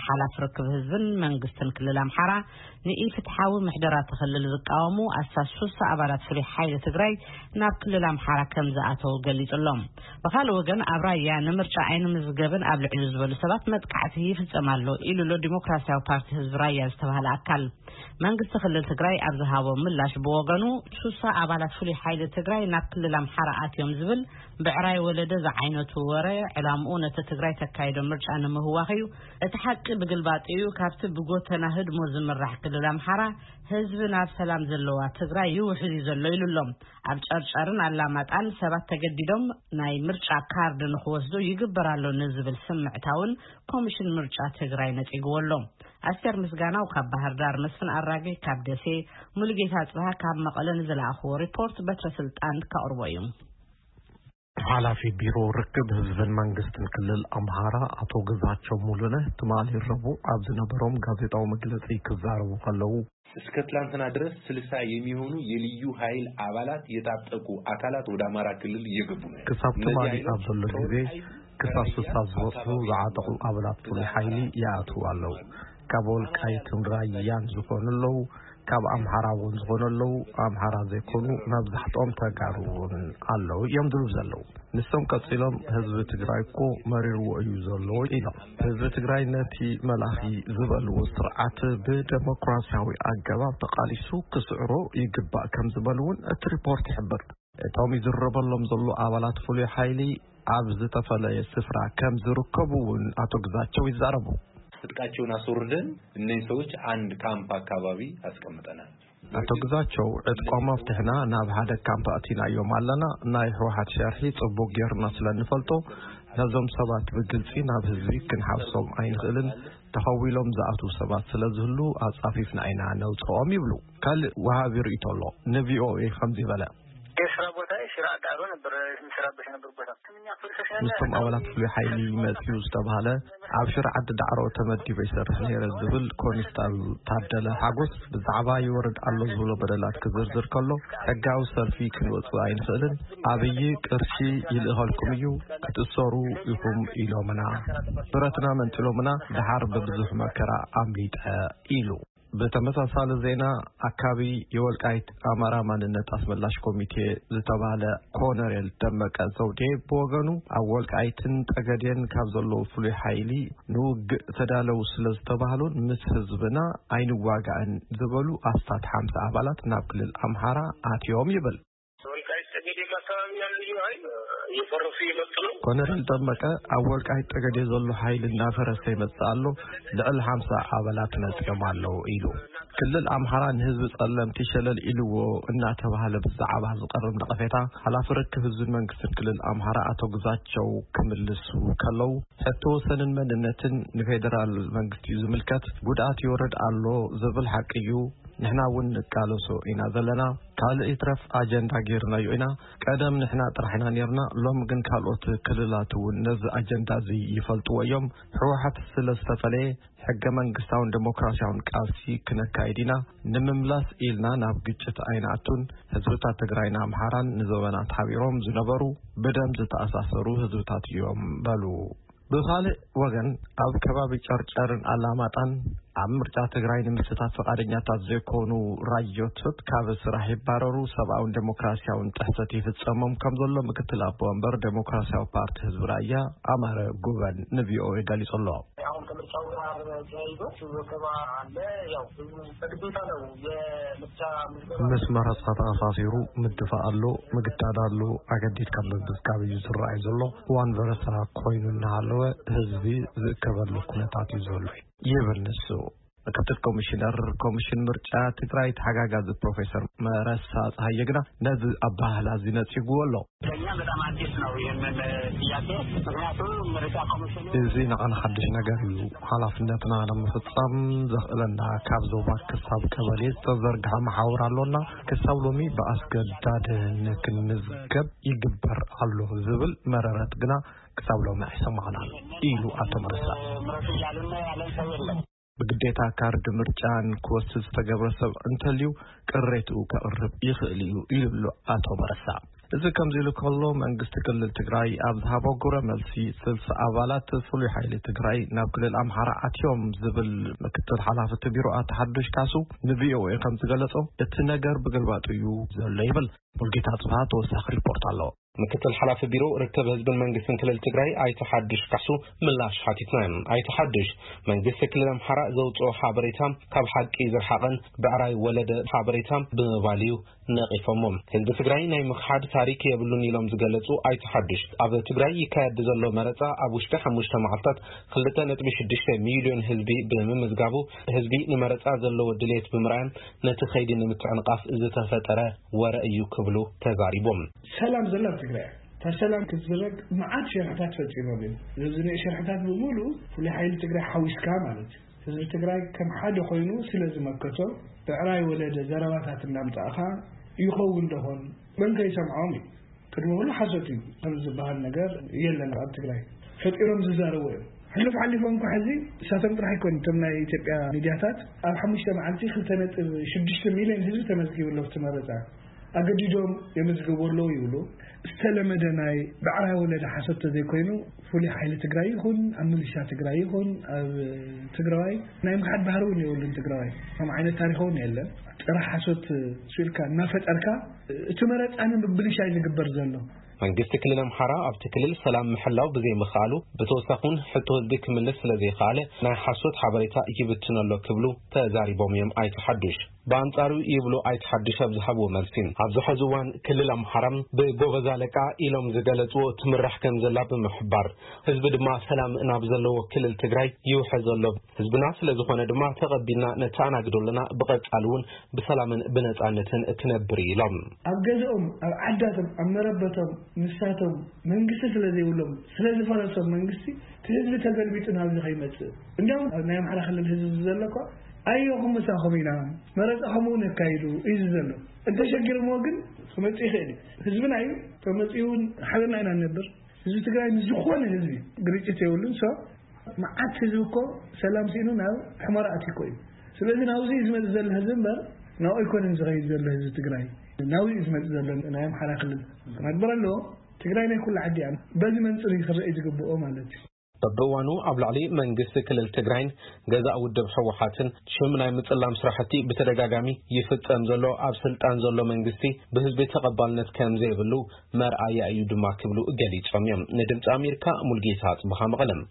ሓላፊ ርክብ ህዝብን መንግስትን ክልል ኣምሓራ ንኢፍትሓዊ ምሕደራ እቲ ክልል ዝቃወሙ ኣስታት ሱሳ ኣባላት ፍሉይ ሓይሊ ትግራይ ናብ ክልል ኣምሓራ ከም ዝኣተው ገሊጹ ኣሎ። ብኻልእ ወገን ኣብ ራያ ንምርጫ ኣይንምዝገብን ኣብ ልዕሊ ዝበሉ ሰባት መጥቃዕቲ ይፍጸም ኣሎ ኢሉ ኣሎ ዲሞክራሲያዊ ፓርቲ ህዝቢ ራያ ዝተባህለ ኣካል። መንግስቲ ክልል ትግራይ ኣብ ዝሃቦ ምላሽ ብወገኑ ሱሳ ኣባላት ፍሉይ ሓይሊ ትግራይ ናብ ክልል ኣምሓራ ኣትዮም ዝብል ብዕራይ ወለደ ዝዓይነቱ ወረ ዕላምኡ ነቲ ትግራይ ተካይዶ ምርጫ ንምህዋኽ እዩ። እቲ ሓቂ ብግልባጥ እዩ። ካብቲ ብጎተና ህድሞ ዝምራሕ ክልል ኣምሓራ ህዝቢ ናብ ሰላም ዘለዋ ትግራይ ይውሕዝ እዩ ዘሎ ኢሉ ኣሎ። ኣብ ጨርጨርን ኣላማጣን ሰባት ተገዲዶም ናይ ምርጫ ካርድ ንክወስዱ ይግበር ኣሎ ንዝብል ስምዕታ እውን ኮሚሽን ምርጫ ትግራይ ነጺግዎ ኣሎ። ኣስቴር ምስጋናው ካብ ባህር ዳር፣ መስፍን ኣራጌ ካብ ደሴ፣ ሙሉጌታ ጽብሃ ካብ መቐለ ንዝለኣኽዎ ሪፖርት በትረ ስልጣን ከቕርቦ እዩ። ሓላፊ ቢሮ ርክብ ህዝብን መንግስትን ክልል ኣምሃራ ኣቶ ግዛቸው ሙሉነህ ትማሊ ረቡዕ ኣብ ዝነበሮም ጋዜጣዊ መግለጺ ክዛረቡ ከለዉ፣ እስከ ትላንትና ድረስ ስልሳ የሚሆኑ የልዩ ኃይል አባላት የታጠቁ አካላት ወደ አማራ ክልል እየገቡ ነው። ክሳብ እነዚህ ትማሊ ኃይሎች ኣብ ዘሎ ግዜ ከወልቃይት ክሳብ ራያ ስልሳ ዝበጽሑ ኣካባቢ ዝዓጠቑ ኣባላት ፍሉይ ሓይሊ ይኣትዉ ኣለዉ። ካብ ወልቃይትን ራያን ዝኾኑ ኣለዉ፣ ካብ ኣምሓራ እውን ዝኾኑ ኣለዉ፣ ኣምሓራ ዘይኮኑ መብዛሕትኦም ተጋሩ እውን ኣለዉ እዮም ዝብሉ ዘለዉ። ንሶም ቀጺሎም፣ ህዝቢ ትግራይ እኮ መሪርዎ እዩ ዘሎ ኢሎም። ህዝቢ ትግራይ ነቲ መላኺ ዝበልዎ ስርዓት ብደሞክራሲያዊ ኣገባብ ተቓሊሱ ክስዕሮ ይግባእ ከም ዝበሉ እውን እቲ ሪፖርት ይሕብር። እቶም ይዝረበሎም ዘሎ ኣባላት ፍሉይ ሓይሊ ኣብ ዝተፈለየ ስፍራ ከም ዝርከቡ እውን ኣቶ ግዛቸው ይዛረቡ። ትጥቃቸውን አስወርደን እነዚህ ሰዎች አንድ ካምፕ አካባቢ አስቀምጠናል። ኣቶ ግዛቸው፣ ዕጥቆም ኣፍትሕና ናብ ሓደ ካምፕ ኣእቲናዮም ኣለና። ናይ ህወሓት ሸርሒ ጽቡቕ ጌርና ስለ እንፈልጦ፣ ነዞም ሰባት ብግልጺ ናብ ህዝቢ ክንሓፍሶም ኣይንኽእልን። ተኸዊሎም ዝኣትዉ ሰባት ስለ ዝህሉ፣ ኣጻፊፍና ኢና ነውጽኦም ይብሉ። ካልእ ወሃቢ ርእይቶ ኣሎ። ንቪኦኤ ከምዚ በለ። የስራ ቦታ ሽራ ዳሮ ነበር፣ የምሰራበት ነበር ቦታ። ንሶም ኣባላት ፍሉይ ሓይሊ መጺኡ ዝተባህለ፣ ኣብ ሽረ ዓዲ ዳዕሮ ተመዲበ ይሰርሕ ነይረ ዝብል ኮንስታብል ታደለ ሓጎስ፣ ብዛዕባ ይወርድ ኣሎ ዝብሎ በደላት ክዝርዝር ከሎ፣ ሕጋዊ ሰልፊ ክንወጽእ ኣይንኽእልን፣ ኣብይ ቅርሺ ይልእኸልኩም እዩ፣ ክትእሰሩ ኢኹም ኢሎምና። ብረትና መንጢሎምና፣ ደሓር ብብዙሕ መከራ ኣምሊጠ ኢሉ። ብተመሳሳሊ ዜና፣ ኣካቢ የወልቃይት ኣማራ ማንነት ኣስመላሽ ኮሚቴ ዝተባህለ ኮነሬል ደመቀ ዘውዴ ብወገኑ፣ ኣብ ወልቃይትን ጠገዴን ካብ ዘለዉ ፍሉይ ሓይሊ ንውግእ ተዳለዉ ስለ ዝተባህሉን ምስ ህዝብና ኣይንዋጋእን ዝበሉ ኣስታት ሓምሳ ኣባላት ናብ ክልል ኣምሓራ ኣትዮም ይብል። ወልቃይት ጠገዴ አካባቢ ያሉ ልዩ ኃይል እየፈረሱ እየመጡ ነው። ኮነሬል ደመቀ፣ ኣብ ወልቃይት ጠገዴ ዘሎ ሓይሊ እናፈረሰ ይመጽእ ኣሎ፣ ልዕሊ ሓምሳ ኣባላት መጺኦም ኣለዉ ኢሉ። ክልል ኣምሓራ ንህዝቢ ጸለምቲ ሸለል ኢልዎ እናተባህለ ብዛዕባ ዝቐርብ ነቐፌታ፣ ሓላፊ ርክብ ህዝብን መንግስትን ክልል ኣምሓራ ኣቶ ግዛቸው ክምልሱ ከለዉ፣ ሕቶ ወሰንን መንነትን ንፌደራል መንግስቲ እዩ ዝምልከት፣ ጉድኣት ይወርድ ኣሎ ዝብል ሓቂ እዩ፣ ንሕና እውን ንቃለሶ ኢና ዘለና። ካልእ ይትረፍ ኣጀንዳ ጌርናዮ ኢና። ቀደም ንሕና ጥራሕ ኢና ኔርና፣ ሎሚ ግን ካልኦት ክልላት እውን ነዚ ኣጀንዳ እዚ ይፈልጥዎ እዮም። ህወሓት ስለ ዝተፈለየ፣ ሕገ መንግስታውን ዴሞክራሲያውን ቃልሲ ክነካይድ ኢና። ንምምላስ ኢልና ናብ ግጭት ኣይንኣቱን። ህዝብታት ትግራይን ኣምሓራን ንዘበናት ሓቢሮም ዝነበሩ፣ ብደም ዝተኣሳሰሩ ህዝብታት እዮም በሉ። ብኻልእ ወገን፣ ኣብ ከባቢ ጨርጨርን ኣላማጣን ኣብ ምርጫ ትግራይ ንምስታፍ ፈቓደኛታት ዘይኮኑ ራዮቶት ካብ ስራሕ ይባረሩ፣ ሰብኣውን ዴሞክራሲያውን ጥሕሰት ይፍጸሞም ከም ዘሎ ምክትል ኣቦ ወንበር ዴሞክራሲያዊ ፓርቲ ህዝቢ ራያ ኣማረ ጉበን ንቪኦኤ ገሊጹ ኣሎ። አሁን ከምርጫው ጋር ተያይዞ ወከባ አለ። ያው ህዝቡ በግዴታ ነው የምርጫ ምዝገባ ምስ መረጻ ተኣሳሲሩ ምድፋእ ኣሎ፣ ምግዳድ ኣሎ፣ ኣገዲድካ ምምዝጋብ እዩ ዝረኣይ ዘሎ። ዋን ቨረሳ ኮይኑ እናሃለወ ህዝቢ ዝእከበሉ ኩነታት እዩ ዘሎ ይብል ንሱ። ምክትል ኮሚሽነር ኮሚሽን ምርጫ ትግራይ ተሓጋጋዚ ፕሮፌሰር መረሳ ፀሃየ ግና ነዚ ኣባህላ እዚ ነፂግዎ ኣሎ። ለእኛ በጣም አዲስ ነው ይህንን ጥያቄ። ምክንያቱም ምርጫ ኮሚሽኑ እዚ ንዓና ሓድሽ ነገር እዩ። ሓላፍነትና ንምፍጻም ዘኽእለና ካብ ዞባ ክሳብ ቀበሌ ዝተዘርግሐ መሓውር ኣሎና። ክሳብ ሎሚ ብኣስገዳድነት ክንምዝገብ ይግበር ኣሎ ዝብል መረረት ግና ክሳብ ሎሚ ኣይሰማዕናን ኢሉ ኣቶ መረሳ። ምረጡ እያሉና ያለን ሰው የለም። ብግዴታ ካርድ ምርጫ ንክወስድ ዝተገብረ ሰብ እንተልዩ ቅሬትኡ ከቕርብ ይኽእል እዩ ኢሉ ኣሎ ኣቶ መረሳ። እዚ ከምዚ ኢሉ ከሎ፣ መንግስቲ ክልል ትግራይ ኣብ ዝሃቦ ግብረ መልሲ፣ ስልሳ ኣባላት ፍሉይ ሓይሊ ትግራይ ናብ ክልል ኣምሓራ ኣትዮም ዝብል ምክትል ሓላፊ እቲ ቢሮ ኣቶ ሓዱሽ ካሱ ንቪኦኤ ከም ዝገለጾ፣ እቲ ነገር ብግልባጡ እዩ ዘሎ ይብል። ሙልጌታ ጽብሃ ተወሳኺ ሪፖርት ኣሎ። ምክትል ሓላፊ ቢሮ ርክብ ህዝብን መንግስትን ክልል ትግራይ ኣይተ ሓዱሽ ካሱ ምላሽ ሓቲትና። ኣይተ ሓዱሽ፣ መንግስቲ ክልል ኣምሓራ ዘውፅኦ ሓበሬታ ካብ ሓቂ ዝረሓቐን ብዕራይ ወለደ ሓበሬታ ብምባል እዩ ነቒፎሞ። ህዝቢ ትግራይ ናይ ምኽሓድ ታሪክ የብሉን ኢሎም ዝገለጹ ኣይተ ሓዱሽ፣ ኣብ ትግራይ ይካየድ ዘሎ መረፃ ኣብ ውሽጢ ሓሙሽተ መዓልታት ክልተ ነጥቢ ሽዱሽተ ሚልዮን ህዝቢ ብምምዝጋቡ፣ ህዝቢ ንመረፃ ዘለዎ ድሌት ብምርኣይ ነቲ ከይዲ ንምትዕንቓፍ ዝተፈጠረ ወረ እዩ ክብሉ ተዛሪቦም። ሰላም ዘላ ኣብ ትግራይ እያ። እታ ሰላም ክትዝረግ መዓት ሸርሕታት ፈፂሞም እዮም። እዚ ንኡ ሸርሕታት ብምሉኡ ፍሉይ ሓይሊ ትግራይ ሓዊስካ ማለት እዩ። ህዝቢ ትግራይ ከም ሓደ ኮይኑ ስለ ዝመከቶ፣ ብዕራይ ወለደ ዘረባታት እናምፃእኻ ይኸውን ዶኾን? መን ከይሰምዖም እዩ? ቅድሚ ኩሉ ሓሶት እዩ። ከም ዝበሃል ነገር የለን ኣብ ትግራይ። ፈጢሮም ዝዛረቡ እዮም። ሕሉፍ ሓሊፎም እኮ ሕዚ እሳቶም ጥራሕ ኣይኮኑን። እቶም ናይ ኢትዮጵያ ሚድያታት ኣብ ሓሙሽተ መዓልቲ ክልተ ነጥቢ ሽዱሽተ ሚልዮን ህዝቢ ተመዝጊቡ ኣሎ ኣብቲ መረፃ። ኣገዲዶም የመዝግቡ ኣለዉ ይብሉ። ዝተለመደ ናይ ብዕራይ ወለደ ሓሶት ተዘይኮይኑ፣ ፍሉይ ሓይሊ ትግራይ ይኹን ኣብ ሚሊሻ ትግራይ ይኹን ኣብ ትግራዋይ ናይ ምኽሓድ ባህሪ እውን የብሉን። ትግራዋይ ከም ዓይነት ታሪኽ እውን የለን። ጥራሕ ሓሶት ስኢልካ እናፈጠርካ እቲ መረፃ ንምብልሻይ ዝግበር ዘሎ። መንግስቲ ክልል ኣምሓራ ኣብቲ ክልል ሰላም ምሕላው ብዘይምኽኣሉ፣ ብተወሳኺ እውን ሕቶ ህዝቢ ክምልስ ስለ ዘይኸኣለ ናይ ሓሶት ሓበሬታ ይብትን ኣሎ ክብሉ ተዛሪቦም እዮም ኣይተ ሓዱሽ። ብኣንጻሩ ይብሉ ኣይተ ሓዱሽ ኣብ ዝሃብዎ መልሲ፣ ኣብዚ ሕዚ እዋን ክልል ኣምሓራ ብጎበዝ ኣለቃ ኢሎም ዝገለጽዎ ትምራሕ ከም ዘላ ብምሕባር፣ ህዝቢ ድማ ሰላም ናብ ዘለዎ ክልል ትግራይ ይውሕዝ ኣሎ። ህዝብና ስለ ዝኾነ ድማ ተቐቢልና ነተኣናግዶ ኣለና፣ ብቐጻሊ እውን ብሰላምን ብነጻነትን ክነብር ኢሎም። ኣብ ገዝኦም፣ ኣብ ዓዳቶም፣ ኣብ መረበቶም ንሳቶም መንግስቲ ስለ ዘይብሎም፣ ስለ ዝፈረሶም መንግስቲ፣ እቲ ህዝቢ ተገልቢጡ ናብዚ ከይመጽእ። እንዲያውም ኣብ ናይ ኣምሓራ ክልል ህዝቢ ዘሎ እኮ፣ ኣየኹም ምሳኹም ኢና፣ መረጻኹም እውን ኣካይዱ እዩ ዘሎ። እንተሸጊርዎ ግን ክመጽእ ይኽእል እዩ። ህዝብና እዩ፣ ተመጺኡ እውን ሓቢርና ኢና ንነብር። ህዝቢ ትግራይ ምስ ዝኾነ ህዝቢ ግርጭት የብሉን። ሶ መዓት ህዝቢ እኮ ሰላም ስኢኑ ናብ ሕመራ ኣትዩ እኮ እዩ። ስለዚ ናብዚ እዩ ዝመጽእ ዘሎ ህዝቢ እምበር፣ ናብኡ ኣይኮነን ዝኸይድ ዘሎ ህዝቢ ትግራይ። ናብዚ እዩ ዝመጽእ ዘሎ ናይ ኣምሓራ ክልል። ክነግበር ኣለዎ። ትግራይ ናይ ኩሉ ዓዲ እያ። በዚ መንጽር እዩ ክረኣይ ዝግብኦ ማለት እዩ። በብእዋኑ ኣብ ልዕሊ መንግስቲ ክልል ትግራይን ገዛእ ውድብ ህወሓትን ሽም ናይ ምጽላም ስራሕቲ ብተደጋጋሚ ይፍጸም ዘሎ፣ ኣብ ስልጣን ዘሎ መንግስቲ ብህዝቢ ተቐባልነት ከም ዘይብሉ መርኣያ እዩ ድማ ክብሉ ገሊጾም እዮም። ንድምፂ ኣሜሪካ ሙልጌታ ጽብሃ መቐለም።